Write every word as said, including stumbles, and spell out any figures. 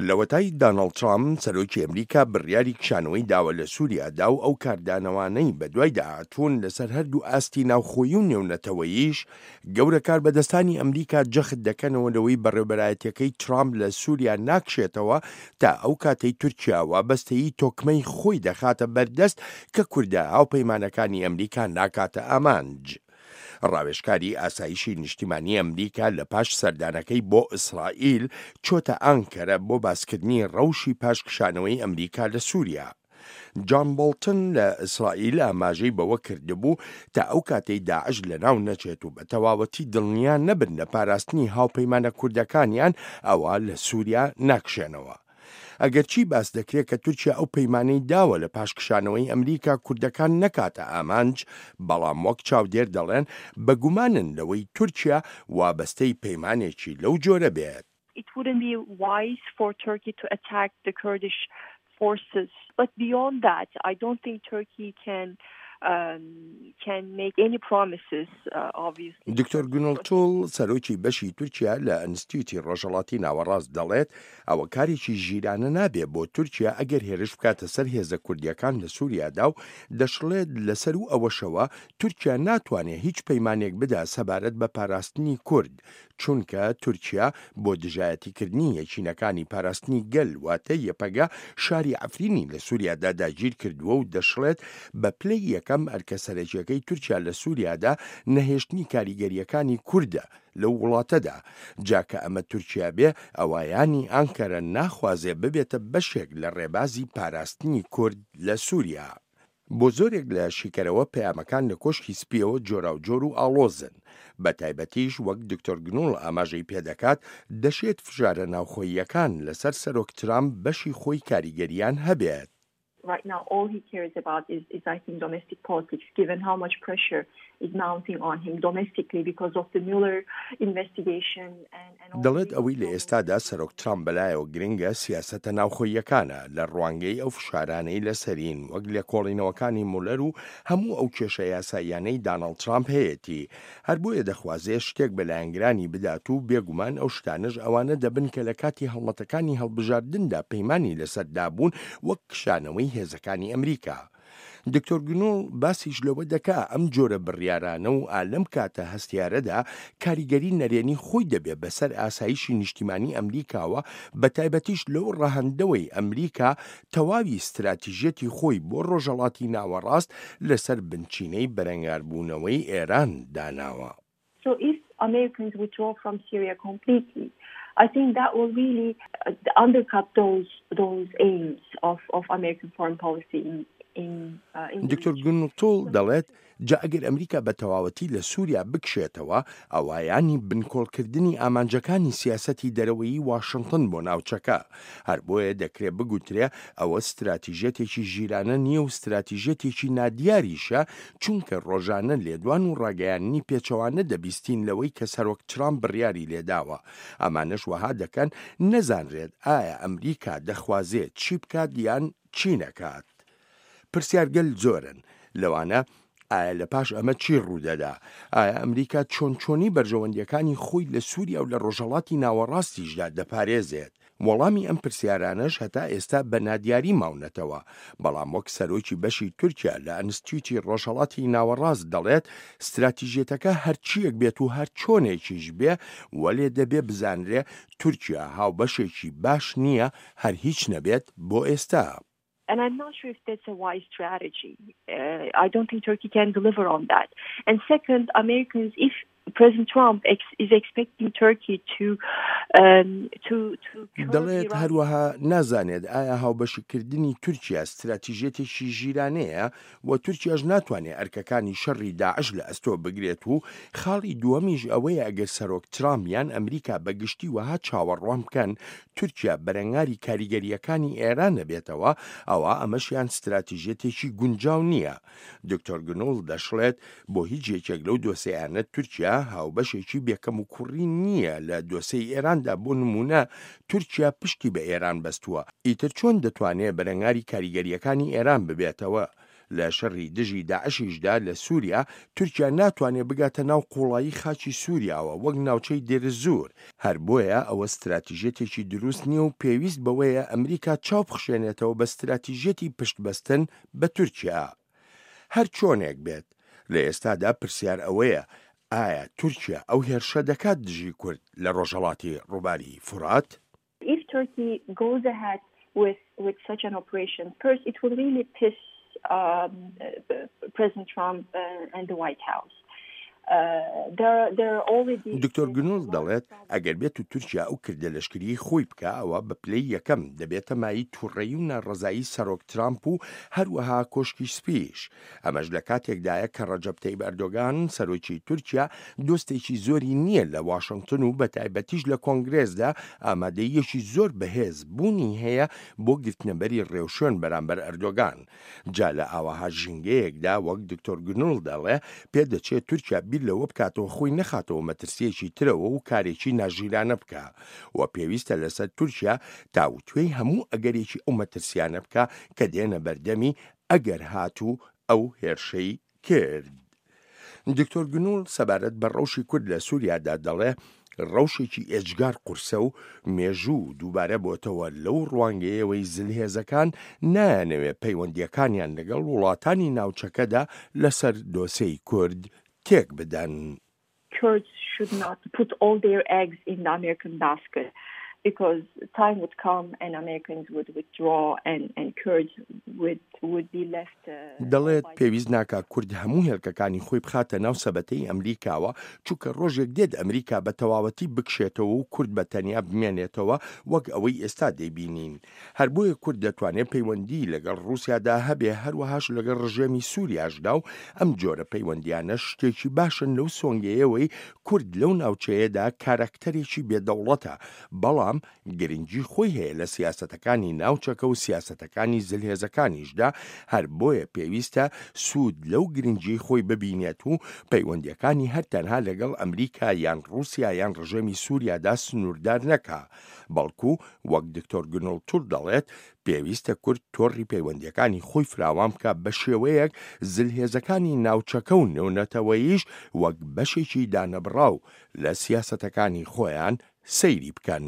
لەوەتای داناڵد ترامپ، سەرۆکی ئەمریکا، بڕیاری کشانەوەی داوە لە سووریادا و ئەو کاردانەوانەی بەدوایدا هاتوون لەسەر هەردوو ئاستی ناوخۆیی و نێونەتەوەییش، گەورە کاربەدەستانی ئەمریکا جەخت دەکەنەوە لەوەی بەڕێوبەرایەتیەکەی ترامپ لە سووریا ناکشێتەوە تا ئەو کاتەی تورکیا وابەستەیی تۆکمەی خۆی دەخاتە بەردەست کە کوردە هاوپەیمانەکانی ئەمریکا ناکاتە ئامانج. ڕاوێژکاری ئاسایشی نیشتیمانی ئەمریکا لە پاش سەردانەکەی بۆ ئیسرائیل چۆتە ئانکەرە بۆ باسکردنی ڕەوشی پاش کشانەوەی ئەمریکا لە سووریا. جان بۆڵتن لە ئیسرائیل ئاماژەی بەوە کردبوو تا ئەو کاتەی داعش لەناو نەچێت و بە تەواوەتی دڵنیا نەبن لە پاراستنی هاوپەیمانە کوردەکانیان، ئەوە لە سووریا ناکشێنەوە. ئەگەرچی باس دەکرێت کە تورکیا ئەو پەیمانەی داوە لە پاش کشانەوەی ئەمریکا کوردەکان نەکاتە ئامانج، بەڵام وەک چاودێر دەڵێن بەگومانن لەوەی تورکیا وابەستەی پەیمانێکی لەو جۆرە بێت. It wouldn't be wise for Turkey to attack the Kurdish forces. But beyond that, I don't think Turkey can um, can make any promises, uh, obviously. دکتۆر گونڵ توڵ، سەرۆکی بەشی تورکیا لە ئەنستیتوتی ڕۆژهەڵاتی ناوەڕاست، دەڵێت ئەوە کارێکی ژیرانە نابێ بۆ تورکیا ئەگەر هێرش بکاتە سەر هێزە کوردیەکان لە سووریادا و دەشڵێت لەسەر و ئەوەشەوە تورکیا ناتوانێت هیچ پەیمانێک بدا سەبارەت بە پاراستنی کورد، چونکە تورکیا بۆ دژایەتیکردنی یەکینەکانی پاراستنی گەل، واتە یەپەگە، شاری عەفرینی لە سووریادا داگیر کردووە و دەشڵێت بە پلەی یەکەم ئەرکە سەرەکیەکەی تورکیا لە سووریادا نەهێشتنی کاریگەریەکانی کوردە لەو وڵاتەدا. جا کە ئەمە تورکیا بێ، ئەوایانی ئانکەرە ناخوازێ ببێتە بەشێک لە ڕێبازی پاراستنی کورد لە سووریا. بۆ زۆرێک لە شیکەرەوە پەیامەکان لە کۆشکی سپیەوە جۆراوجۆر و ئاڵۆزن، بە تایبەتیش وەک دکتۆر گنوڵ ئاماژەی پێدەکات دەشێت فشارە ناوخۆییەکان لەسەر سەرۆک ترامپ بەشی خۆی کاریگەریان هەبێت. Right now, all he cares about is, is I think, domestic politics, given how much pressure is mounting on him domestically because of the Mueller investigation and, and all دەڵێت ئەوەی لە ئێستادا سەرۆک ترامپ بەلایەوە گرنگە سیاسەتە ناوخۆییەکانە، لە ڕوانگەی ئەو فشارانەی لەسەرین وەک لێکۆڵینەوەکانی مولەر و هەموو ئەو کێشە یاساییانەی داناڵد ترامپ هەیەتی. هەر بۆیە دەخوازێ شتێک بە لایەنگرانی بدات و بێگومان ئەو شتانەش ئەوانە دەبن کە لە کاتی هەڵمەتەکانی هەڵبژاردندا پەیمانی لەسەردا بوون، وەک کشانەوەی هێزەکانی ئەمریکا. دکتۆر گنۆڵ باسیش لەوە دەکا ئەم جۆرە بڕیارانە و ئالەم کاتە هەستیارەدا کاریگەری نەرێنی خۆی دەبێ بەسەر ئاسایشی نیشتیمانی ئەمریکاوە، بە تایبەتیش لەو ڕەهەندەوەی ئەمریکا تەواوی ستراتیژیەتی خۆی بۆ ڕۆژهەڵاتی ناوەڕاست لەسەر بنچینەی بەرەنگاربوونەوەی ئێران داناوە. So if Americans withdraw from Syria completely, I think that will really undercut those those aims of, of American foreign policy in in, uh, in the دکتۆر region. گونڵتۆڵ دەڵێت جا ئەگەر ئەمریکا بە تەواوەتی لە سووریا بکشێتەوە، ئەوایانی بنکۆڵکردنی ئامانجەکانی سیاسەتی دەرەوەیی واشنگتن بۆ ناوچەکە. هەر بۆیە دەکرێت بگوترێ ئەوە ستراتیژیەتێکی ژیرانە نییە و ستراتیژیەتێکی نادیاریشە، چونکە ڕۆژانە لێدوان و ڕاگەیاندنی پێچەوانە دەبیستین لەوەی کە سەرۆک ترامپ بڕیاری لێداوە. ئەمانەش وەها دەکەن نەزانرێت ئایا ئەمریکا دەخوازێت چی بکات یان چی نەکات. پرسیارگەل زۆرن، لەوانە ئایا لە پاش ئەمە چی ڕوودەدا؟ ئایا ئەمریکا چۆن چۆنی بەرژەوەندیەکانی خۆی لە سووریا و لە ڕۆژهەڵاتی ناوەڕاستیشدا دەپارێزێت؟ وەڵامی ئەم پرسیارانەش هەتا ئێستا بە نادیاری ماونەتەوە. بەڵام وەک سەرۆکی بەشی تورکیا لە ئەنستیتوتی ڕۆژهەڵاتی ناوەڕاست دەڵێت ستراتیژیەتەکە هەرچیەک بێت و هەر چۆنێکیش بێ، وەلێ دەبێ بزانرێ تورکیا هاوبەشێکی باش نییە، هەر هیچ نەبێت بۆ ئێستا. And I'm not sure if that's a wise strategy. Uh, I don't think Turkey can deliver on that. And second, Americans, if President Trump ex- is expecting Turkey to um, to to curb دەڵێت Iran هەروەها نازانێت ئایا هاوبەشیکردنی تورکیا ستراتیژیەتێکی ژیرانەیە و تورکیاش ناتوانێت ئەرکەکانی شەڕی داعش لە ئەستۆ بگرێت و خاڵی دووەمیش ئەوەیە ئەگەر سەرۆک ترامپ یان ئەمریکا بەگشتی وەها چاوەڕوان بکەن تورکیا بەرەنگاری کاریگەریەکانی ئێران نەبێتەوە، ئەوە ئەمەشیان ستراتیژیەتێکی گونجاو نییە. دکتۆر گنوڵ دەشڵێت بۆ هیچ یەکێک لەو دۆسیانە تورکیا هاوبەشێکی بێکەم و کوڕی نییە لە دۆسیەی ئێراندا. بۆ نمونە تورکیا پشتی بە ئێران بەستووە، ئیتر چۆن دەتوانێت بەرەنگاری کاریگەریەکانی ئێران ببێتەوە؟ لە شەڕی دژی داعشیشدا لە سووریا، تورکیا ناتوانێت بگاتە ناو قوڵایی خاکی سووریاوە وەک ناوچەی دێرزور. هەر بۆیە ئەوە ستراتیژیەتێکی دروست نییە و پێویست بەوەیە ئەمریکا چاو بخشێنێتەوە بە ستراتیژیەتی پشتبەستن بە تورکیا. هەر چۆنێک بێت، لە ئێستادا پرسیار ئەوەیە ئایا تورکیا ئەو هێرشە دەکات دژی کورد لە ڕۆژهەڵاتی ڕووباری فورات؟ If Turkey goes ahead with, with such an operation, first it will really piss um, President Trump uh, and the White House. دکتۆر گونول دەڵێت ئەگەر بێت و تورکیا ئەو کردە لەشکری خۆی بکە، ئەوە بە پلەی یەکەم دەبێتە مایەی تووڕەیی و ناڕەزایی سەرۆک ترامپ و هەروەها کۆشکی سپیش. ئەمەش لە کاتێکدایە کە ڕەجەب تەیب ئەردۆگان، سەرۆکی تورکیا، دۆستێکی زۆری نییە لە واشنگتن و بە تایبەتیش لە کۆنگرێسدا ئامادەیەکی زۆر بەهێز بوونی هەیە بۆ گرتنەبەری ڕێوشوێن بەرامبەر ئەردۆگان. جا لە ئاوەها ژینگەیەکدا، وەک دکتۆر گونول دەڵێ، پێدەچێت تورکیا بیر لەوە بکاتەوە خۆی نەخاتەوە مەترسیەکی ترەوە و کارێکی ناژیرانە بکە و پێویستە لەسەر تورکیا تاوتوێی هەموو ئەگەرێکی ئەو مەترسیانە بکە کە دێنە بەردەمی ئەگەر هاتوو ئەو هێرشەی کرد. دکتۆر گونول سەبارەت بە ڕەوشی کورد لە سووریادا دەڵێ ڕەوشێکی ئێجگار قورسە و مێژوو دووبارە بۆتەوە لەو ڕوانگەیەوەی زلهێزەکان نایانەوێ پەیوەندیەکانیان لەگەڵ وڵاتانی ناوچەکەدا لەسەر دۆسێی کورد تێک بدەن. Kurds should not put all their eggs in the American basket, because time would come and Americans would withdraw and, and Kurds would, would be left. دەڵێت پێویست ناکا کورد هەموو هێلکەکانی خۆی بخاتە ناو سەبەتەی ئەمریکاوە، چونکە ڕۆژێک دێت ئەمریکا بە تەواوەتی بکشێتەوە و کورد بە تەنیا بمێنێتەوە وەک ئەوەی ئێستا دەیبینین. هەر بۆیە کورد دەتوانێت پەیوەندی لەگەڵ ڕووسیادا هەبێ، هەروەهاش لەگەڵ ڕژێمی سووریاشدا، و ئەم جۆرە پەیوەندیانە شتێکی باشن لەو سۆنگەیەوەی کورد لەو ناوچەیەدا کاراکتەرێکی بێدەوڵەتە، بەڵام گرنگی خۆی هەیە لە سیاسەتەکانی ناوچەکە و سیاسەتەکانی زلهێزەکانیشدا. هەر بۆیە پێویستە سوود لەو گرنگی خۆی ببینێت و پەیوەندیەکانی هەر تەنها لەگەڵ ئەمریکا یان ڕووسیا یان ڕژێمی سووریادا سنووردار نەکا، بەڵکو وەک دکتۆر گونول تور دەڵێت پێویستە کورد تۆڕی پەیوەندیەکانی خۆی فراوان بکە بە شێوەیەک زلهێزەکانی ناوچەکە و نێونەتەوەیش وەک بەشێکی دانەبڕاو لە سیاسەتەکانی خۆیان سەیری بکەن.